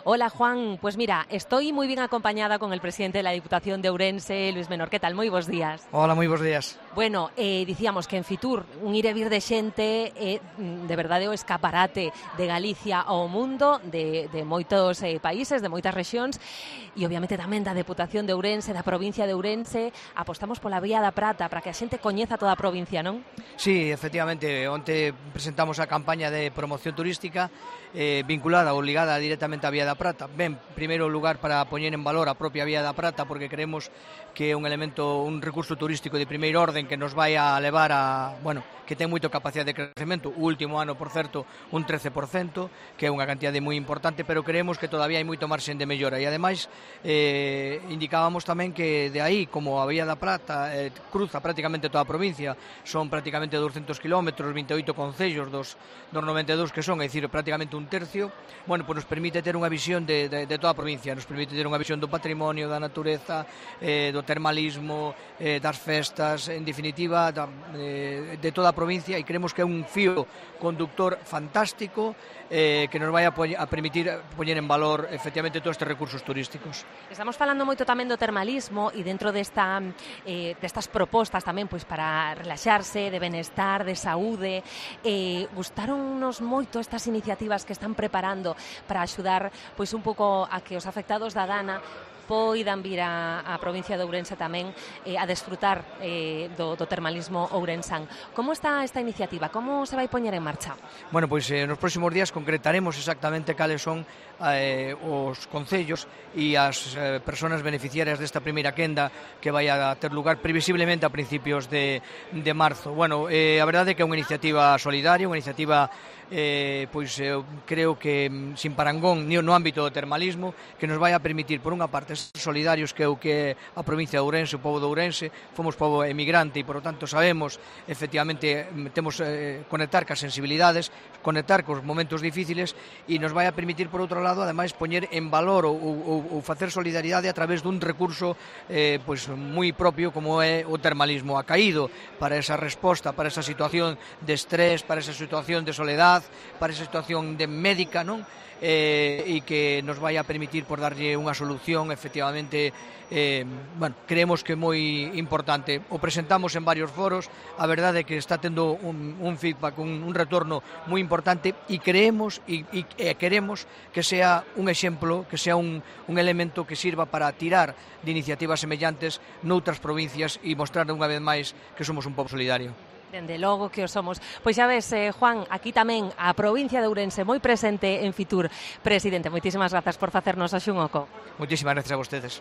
Hola Juan, pues mira, estoy moi ben acompañada con el presidente da Diputación de Ourense, Luis Menor. Que tal? Moi bons días. Hola, moi bons días. Bueno, dicíamos que en Fitur un ir e vir de xente de verdade o escaparate de Galicia ao mundo, de moitos países, de moitas rexións, e obviamente tamén da Deputación de Ourense, da provincia de Ourense. Apostamos pola Vía da Prata para que a xente coñeza toda a provincia, non? Sí, efectivamente, onte presentamos a campaña de promoción turística vinculada ou ligada directamente á Vía da Prata. Ben, primeiro lugar para poñer en valor a propia Vía da Prata, porque creemos que é un elemento, un recurso turístico de primeiro orden que nos vai a levar a, bueno, que ten moito capacidade de crecemento. O último ano, por certo, un 13%, que é unha cantidade moi importante, pero creemos que todavía hai moito marxen de mellora. E ademais, indicábamos tamén que de aí, como a Vía da Prata cruza prácticamente toda a provincia, son prácticamente 200 km, 28 concellos dos 92 que son, é dicir, prácticamente un tercio, bueno, pues nos permite ter unha visión de toda a provincia, nos permite ter unha visión do patrimonio, da natureza, do termalismo, das festas, en definitiva, de toda a provincia, e creemos que é un fío conductor fantástico que nos vai a permitir poñer en valor efectivamente todos estes recursos turísticos. Estamos falando moito tamén do termalismo e dentro destas propostas tamén pois para relaxarse, de benestar, de saúde. Gustaronnos moito estas iniciativas que están preparando para axudar pois un pouco a que os afectados da Dana poidan vir a provincia de Ourense tamén a desfrutar do termalismo ourensán. Como está esta iniciativa? Como se vai poñer en marcha? Bueno, pois nos próximos días concretaremos exactamente cales son os concellos e as persoas beneficiarias desta primeira quenda que vai a ter lugar previsiblemente a principios de marzo. Bueno, a verdade é que é unha iniciativa solidaria, unha iniciativa pois eu creo que sin parangón no ámbito do termalismo, que nos vai a permitir, por unha parte, ser solidarios, que é o que a provincia de Ourense, o pobo de Ourense, fomos pobo emigrante e, por lo tanto, sabemos, efectivamente, temos conectar cas sensibilidades, conectar cos momentos difíciles, e nos vai a permitir, por outro lado, ademais, poñer en valor ou facer solidaridade a través dun recurso pois moi propio como é o termalismo acaído para esa resposta, para esa situación de estrés, para esa situación de soledad, para esa situación de médica, non? E que nos vai a permitir por darlle unha solución efectivamente, bueno, creemos que é moi importante. O presentamos en varios foros, a verdade é que está tendo un feedback, un retorno moi importante, e creemos e queremos que sea un exemplo, que sea un elemento que sirva para tirar de iniciativas semellantes noutras provincias e mostrar unha vez máis que somos un pobo solidario. Dende logo que o somos. Pois xa ves, Juan, aquí tamén a provincia de Ourense moi presente en Fitur. Presidente, moitísimas grazas por facernos hoxe un oco. Moitísimas grazas a vostedes.